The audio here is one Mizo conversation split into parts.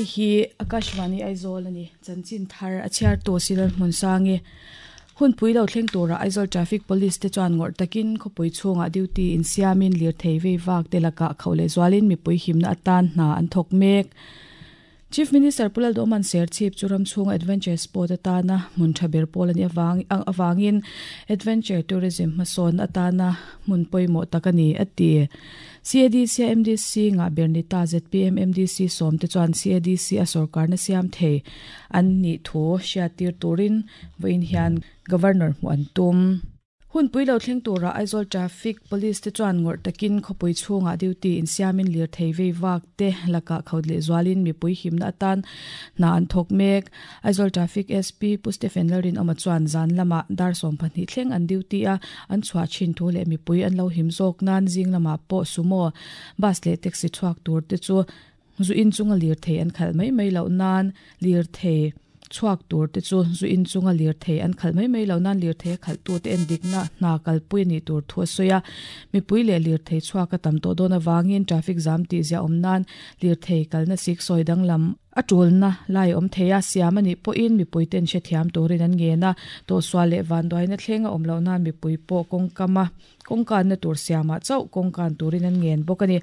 Hei hi Akashvani Aizawl a ni. Chanchin thar a chhiartu Silal Hmunsangi. Hunpui lo thleng tura Aizawl Traffic Police te chuan ngawrh takin khawpui chhungah duty insiamin lirthei vei vak te lakah khauh leh zualin mipui himna atan hna an thawk mek. Chief Minister Pu Lalduhawman Serchhip chu ram chhunga adventure sport atana hmun tha ber pawl a nih avangin adventure tourism hmasawnna atana hmun pawimawh tak a ni, a ti. CADC a MDC ngah ber ni ta zpm MDC sawm te chuan CADC a sawrkarna siam thei an nih thu hriattir turin vawiin hian Governor hmuh an tum. Hunpui lo thleng turah Aizawl Traffic Police te chuan ngawrh takin khawpui chhungah duty insiamin lirthei vei vak te lakah khaut leh zualin mipui himna atan hna an thawk mek. Aizawl Traffic SP Pu Stephen Lalrinawma chuan zan lamah dar 12 thleng an duty a, an chhuah thin thu leh mipui an lo him zawk nan zing lamah pawh sumo, bus leh taxi chhuak tur te chu zu in chunga lirthei an khalh mai mai loh nan lirthei chhuak tur te chu zu in chunga lirthei an khalh mai mai loh nan lirthei a khalh tu te en dikna hna kalpui a nih tur thu a sawi a. Mipui leh lirthei chhuak a tam tawh dawn avangin traffic zam tih ziah awm nan lirthei kalna sik sawi danglam a tulna lai awm thei a, siam a nih pawhin mipui ten hrethiam turin an ngen a, tawhsual leh vanduaina thleng a awm loh nan mipui pawh kawngkama kawngkanna tur siamah chauh kawngkan turin an ngen bawk a ni.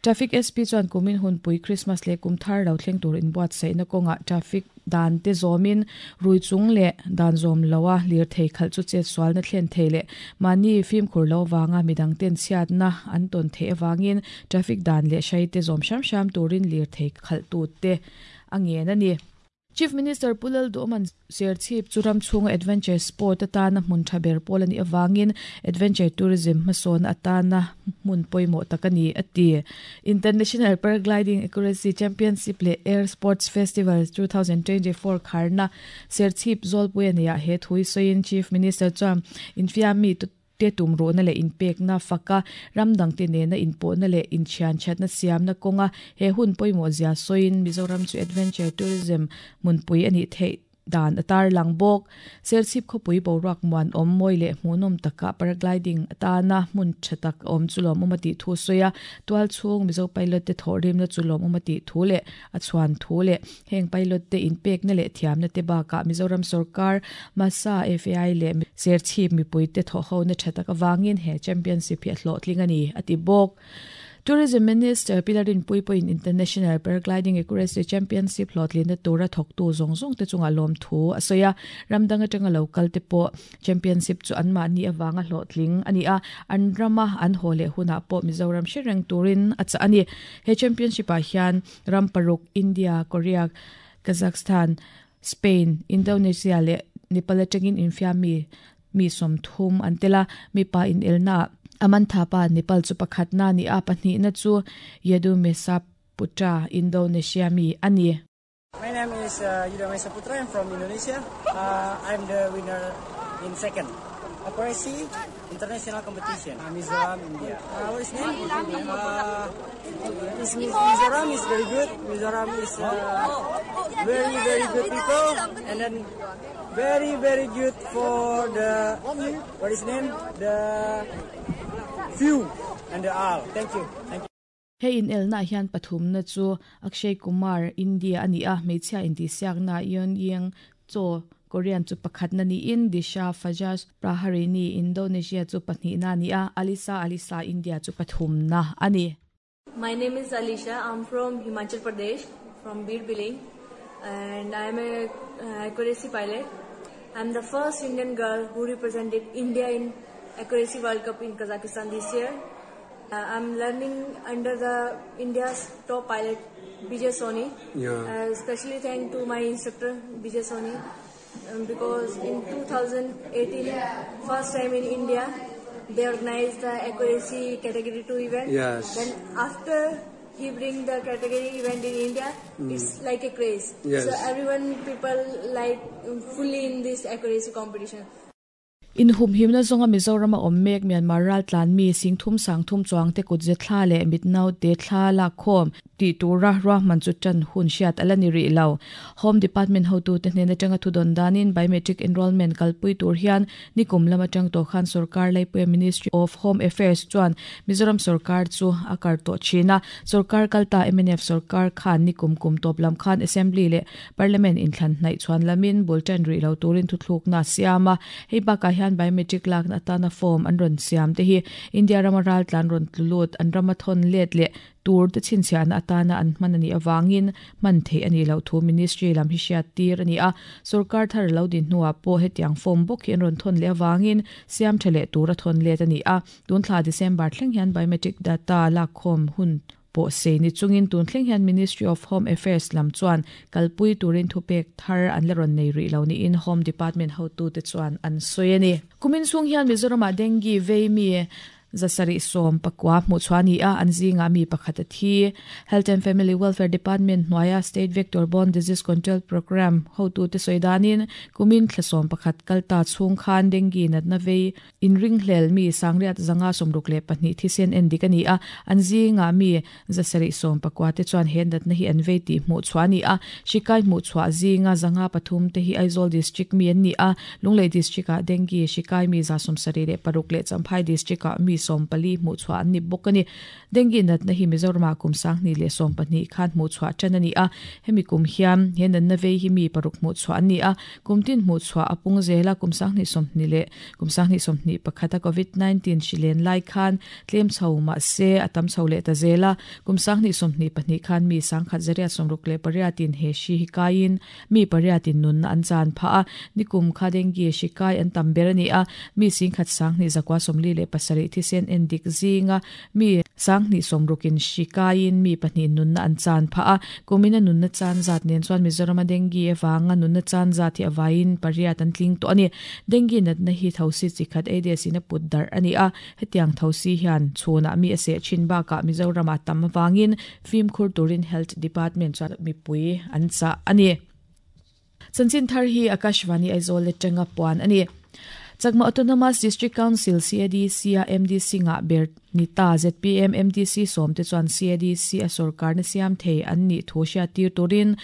Traffic SP chuan kumin hunpui Christmas leh kum thar lo thleng tur inbuatsaihna kawngah traffic dan te zawmin rui chung leh dan zawm loa lirthei khalh chu chetsualna thlen thei leh mahni fimkhur lo vanga midang ten chhiatna an tawn theih avangin traffic dan leh hrai te zawm hram hram turin lirthei khalh tu te a ngen a ni. Chief Minister Pu Lalduhawman Serchhip chu ram chhunga adventure sport atana hmun tha ber pawl a nih avangin adventure tourism hmasawnna atana hmun pawimawh tak a ni, a ti. International Paragliding Accuracy Championship leh Air Sports Festival 2024 kharna Serchhip Zawlpui a neihah he thu hi sawiin Chief Minister chuan infiammi te tumruhna leh inpekna faka ram dangte nena inpawhna leh inthianthatna siamna kawnga he hun pawimawh zia sawiin Mizoram chu adventure tourism hmunpui a nih theih dan a tarlang bawk. Serchhip khawpui boruak muan awm mawi leh hmuhnawm takah paragliding atana hmun tha tak a awm chu lawmawm a tih thu sawi a, tual chhung Mizo pilot te thawhrimna chu lawmawm a tih thu leh a chhuan thu leh Heng pilot te inpekna leh thiamna te bakah Mizoram sorkar, MASA, FAI leh Serchhip mipui te thawhhona tha tak avangin he championship hi a hlawhtling a ni, a ti bawk. Tourism Minister Pi Larinpui pawhin International Paragliding Accuracy Championship hlawhtlinna tura thawktu zawng zawng te chungah lawmthu a sawi a, ram dang atanga lo kal te pawh championship chu anmahni avanga hlawhtling a ni a, an rama an haw leh hunah pawh Mizoram hre reng turin a chah a ni. He championship ah hian Ram paruk, India, Korea, Kazakhstan, Spain, Indonesia leh Nepal atangin infiam mi mi 30 an tel a. Mipa inelnaah Aman Thapa, Nepal chu pakhatna a ni a, pahnihna chu Yedu Mesa Putra, Indonesia mi a ni. My name is Yuda Mesa Putra, I'm from Indonesia. I'm the winner in second. Accuracy International Competition, Mizoram, India. What is name? Mizoram is very good. Mizoram is very, very good people, and then very, very good for the, what is name? The view and the all. Thank you. Thank you. He inelnaah hian pathumna chu Akshay Kumar, India, a ni a, hmeichhia intihsiakna Yeon Yeong Cho, Korean, chu pakhatna niin Disha Fajas Praharini, Indonesia, chu pahnihna a ni a, Alisa Alisa, India, chu pathumna a ni. My name is Alisha, I'm from Himachal Pradesh, from Bir Billing, and I'm a accuracy pilot. I'm the first Indian girl who represented India in Accuracy World Cup in Kazakhstan this year. I'm learning under the India's top pilot Vijay Soni. Especially thank to my instructor Vijay Soni, because in 2018, first time in India, they organized the accuracy category 2 event. Then after he bring the category event in India, it's like a craze. So everyone people like fully in this accuracy competition. Inhumhimna zawnga Mizorama awm mek Myanmar raltlan mi singthum sangthum chuangte kutze thla leh mitnaute thla lakkhawm tih tura ruahman chu tan hun hriat a la ni rih lo. Home Department hotute hnen atanga thudawn danin Biometric Enrolment kalpui tur hian nikum lam atang tawh khan sorkar laipuia Ministry of Home Affairs chuan Mizoram sorkar chu a kar tawh thin a. Sorkar kalta mnf sorkar khan nikum kum tawp lam khan Assembly leh Parliament inthlan hnaih chhuan lamin bul tan rih lo turin thuthlukna a siam a, hei bakah hian biometric lakna atana form an rawn siam te hi India rama raltlan rawn tlu lut, an rama thawn let leh tur te chhinchhiahna atana an hman a nih avangin hman theih a nih loh thu Ministry lam hi hriat tir a ni a. Sorkar thar a lo din hnuah pawh hetiang form bawk hi an rawn thawn leh avangin siam tha leh tur a thawn let a ni a. Tun thla December thleng hian biometric data lakkhawm hun pawh sei ni chungin tun thleng hian Ministry of Home Affairs lam chuan kalpui turin thupek thar an la rawn nei rih lo niin Home Department hotute chuan an sawi a ni. Kumin chhung hian Mizoramah dengue vei mi 719 hmuh chhuah a ni a, an zingah mi pakhat a thi. Health and Family Welfare Department hnuaia State Vector Borne Disease Control Programme hotute sawi danin kumin thla 11 kalta chhung khan dengue natna vei Inringhlel mi 6,562 thisen en dik a ni a, an zingah mi 719 te chuan he natna hi an vei tih hmuh chhuah a ni a. Hrikai hmuh chhuah zinga 53 te hi Aizawl District mi an ni a, Lunglei District-ah Dengue hrikai mi 76 leh Champhai District-ah mi 14 hmuh chhuah an ni bawk a ni. Dengue natna hi Mizoramah kum 2012 khan hmuh chhuah tan a ni a, hemi kum hian he natna vei hi mi paruk hmuh chhuah an ni a, kum tin hmuh chhuah a pung zel a, kum 2020 leh kum 2021 a Covid 19 hri len lai khan tlem chho mah se a tam chho leh ta zel a, kum 2022 khan mi 1,168 in he hri hi kaiin mi pariatin nunna an chan phah a, nikum kha dengue hri kai an tam ber a ni a, mi 1,247 thisen en dik zinga mi 260 in hri kaiin mi pahnih nunna an chan phah a, kumina nunna chan zat nen chuan Mizorama dengue avanga nunna chan zat hi a vaiin pariat an tling tawh a ni. Dengue natna hi thosi chi khat Aedes in a put darh a ni a, hetiang thosi hian chhunah mi a seh thin bakah Mizoramah tam avangin fimkhur turin Health Department chuan mipui an chah a ni. Chanchin thar hi Akashvani Aizawl atanga puan a ni. Chakma Autonomous District Council, CADC, a MDC ngah ber ni ta zpm MDC sawmte chuan CADC a sorkarna siam thei an nih thu hriattir turin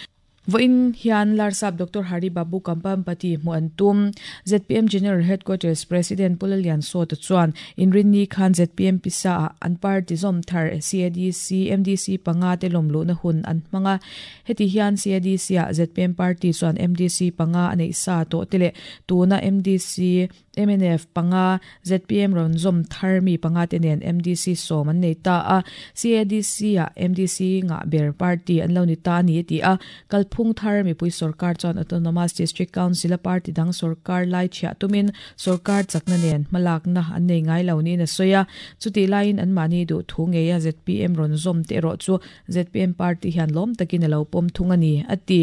Vawiin hian Larsap Doctor Hari Babu Kampampati hmuh an tum. Zpm General Headquarters President Pu Lalian Sawta chuan Inrinni khan zpm pisa ah an party zawm thar CADC, MDC panga te lawmluhna hun an hmang a. Heti hian CADC ah zpm party chuan MDC panga a neih sa tawh te leh tuna MDC, Mnf panga, zpm rawn zawm thar mi panga te nen MDC sawm an nei ta a, CADC ah MDC ngah ber party an lo ni ta a ni a ti a. Kalphung thar mipui sorkar chuan Autonomous District Council a party dang sorkar lai chhiah tumin sorkar chakna nen hmalakna an nei ngai lo niin a sawi a. Chutih laiin anmahni duh thu ngeia zpm rawn zawm te erawh chu zpm party hian lawm takin a lo pawm thung a ni, a ti.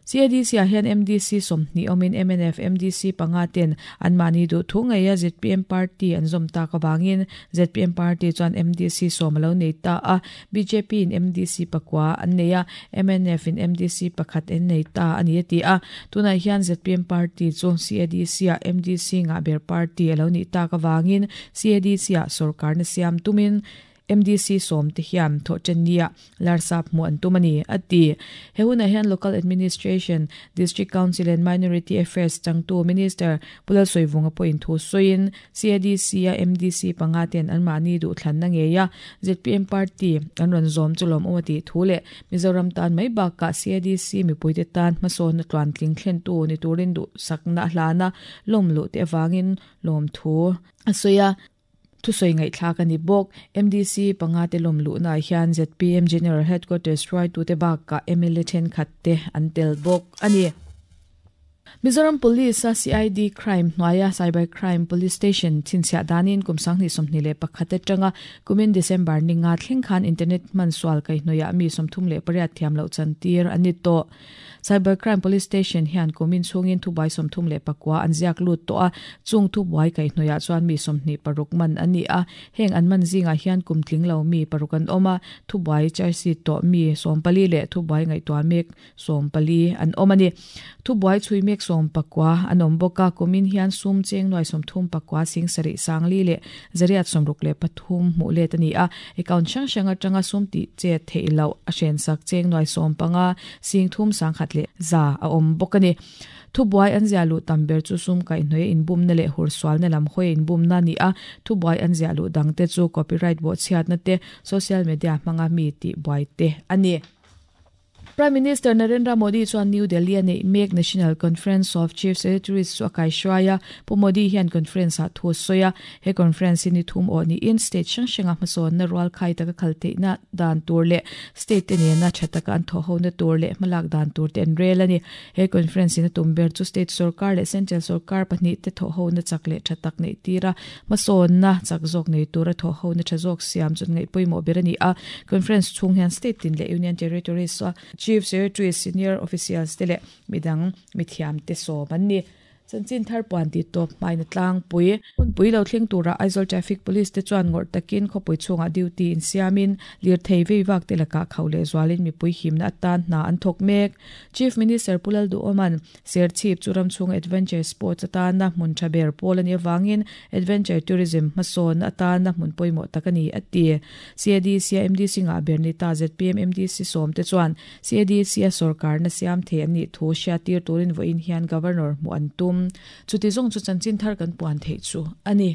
CADC ah hian MDC 20 awmin mnf MDC panga ten anmahni duh thu ngeia zpm party an zawm tak avangin zpm party chuan MDC sawm a lo nei ta a, bjp in MDC pakua an nei a, mnf in MDC pakhat an nei ta a ni a ti a. Tunah hian zpm party chu CADC ah MDC ngah ber party a lo nih tak avangin CADC ah sorkarna siam tumin MDC sawmte hian thawhṭannia Larsap hmuh an tum a ni, a ti. He hunah hian Local Administration, District Council and Minority Affairs changtu Minister Pu Lalsawivunga pawhin thu sawiin, CADC-a MDC panga ten anmahni duhthlanna ngeia zpm party an rawn zawm chu lawmawm a tih thu leh Mizoram tan mai bakah CADC mipuite tan hmasawnna tluantling thlentu ni turin duhsakna a hlan a, lawmluh te avangin lawmthu a sawi a. Thusawi ngaihthlak a ni bawk. MDC panga te lawm luhnaah hian zpm General Headquarters hruaitute bakah mla thenkhat te an tel bawk a ni. Mizoram Police a CID Crime hnuaia Cyber Crime Police Station chhinchhiah danin kum 2021 atanga kumin December ninga thleng khan internet hman sual kaihhnawihah mi 38 thiam loh chantir an ni tawh. Cyber Crime Police Station hian kumin chhungin thubuai 39 an ziak lut tawh a, chung thubuai kaihhnawihah chuan mi 26 man an ni a. Heng an man zingah hian kum tling lo mi paruk an awm a, thubuai charge sheet tawh mi 14 leh thubuai ngaihtuah mek 14 an awm a ni. Thubuai chhui mek 19 an awm bawk a, kumin hian sum cheng nuai 39 sing sarih sangli leh zariat 63 hmuh let a ni a, account hrang hrang atanga sum tih chet theih loh a hrensak cheng nuai 15 sing thum sangkhat leh za a awm bawk a ni. Thubuai an ziah luh tam ber chu sum kaihhnawih a inbumna leh hursualna lam hawi a inbumna a ni a, thubuai an ziah luh dangte chu copyright bawhchhiatna te, social media hmanga mi tihbuai te a ni. Prime Minister Narendra Modi chuan New Delhi a neih mek National Conference of Chief Secretaries chu a kaihruai a, Pu Modi hian conference-ah thu a sawi a. He conference hi ni thum awh niin state hrang hranga hmasawnna rualkhai taka khal theihna dan tur leh state te nena tha taka an thawhhona tur leh hmalak dan tur te an rel a ni. He conference in a tum ber chu state sorkar leh central sorkar pahnih te thawhhona chak leh tha tak neih tir a, hmasawnna chak zawk nei tura thawhhona tha zawk siam chu an ngaih pawimawh ber a ni a. Conference chhung hian state tin leh union territories a chief secretaries, senior officials te leh midang mithiam te sawm an ni. Chanchin thar puan tih tawp hmaina tlangpui. Hunpui lo thleng turah Aizawl Traffic Police te chuan ngawrh takin khawpui chhungah duty insiamin lirthei vei vak te lakah khauh leh zualin mipui himna atan hna an thawk mek. Chief Minister Pu Lalduhawma'n Serchhip chu ram chhunga adventure sports atana hmun tha ber pawl a nih avangin adventure tourism hmasawn atana hmun pawimawh tak a ni, a ti. CADC-a MDC ngah ber ni ta zpm MDC sawmte chuan CADC-a sawrkarna siam thei an nih thu hriattir turin vawiin hian Governor hmuh an tum. Chuti zawng chu chanchin thar kan puan theih chu a ni.